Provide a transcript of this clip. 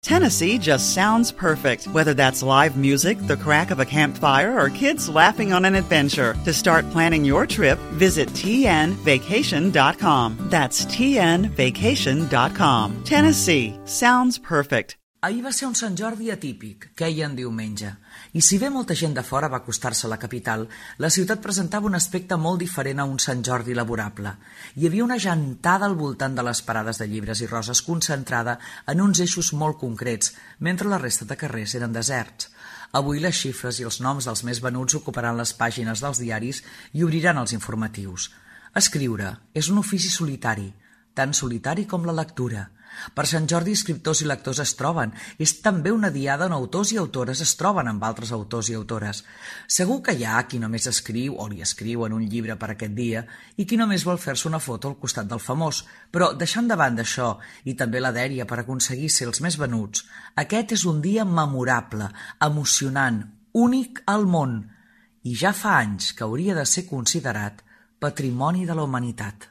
Tennessee just sounds perfect, whether that's live music, the crack of a campfire, or kids laughing on an adventure. To start planning your trip, visit tnvacation.com. That's tnvacation.com. Tennessee sounds perfect. Ahir va ser un Sant Jordi atípic, queia en diumenge, i si bé molta gent de fora va acostar-se a la capital, la ciutat presentava un aspecte molt diferent a un Sant Jordi laborable. Hi havia una gentada al voltant de les parades de llibres i roses concentrada en uns eixos molt concrets, mentre la resta de carrers eren deserts. Avui les xifres i els noms dels més venuts ocuparan les pàgines dels diaris i obriran els informatius. Escriure és un ofici solitari, tan solitari com la lectura. Per Sant Jordi, escriptors i lectors es troben. És també una diada on autors i autores es troben amb altres autors i autores. Segur que hi ha qui només escriu o li escriuen un llibre per aquest dia i qui només vol fer-se una foto al costat del famós. Però, deixant de banda això i també la dèria per aconseguir ser els més venuts, aquest és un dia memorable, emocionant, únic al món. I ja fa anys que hauria de ser considerat patrimoni de la humanitat.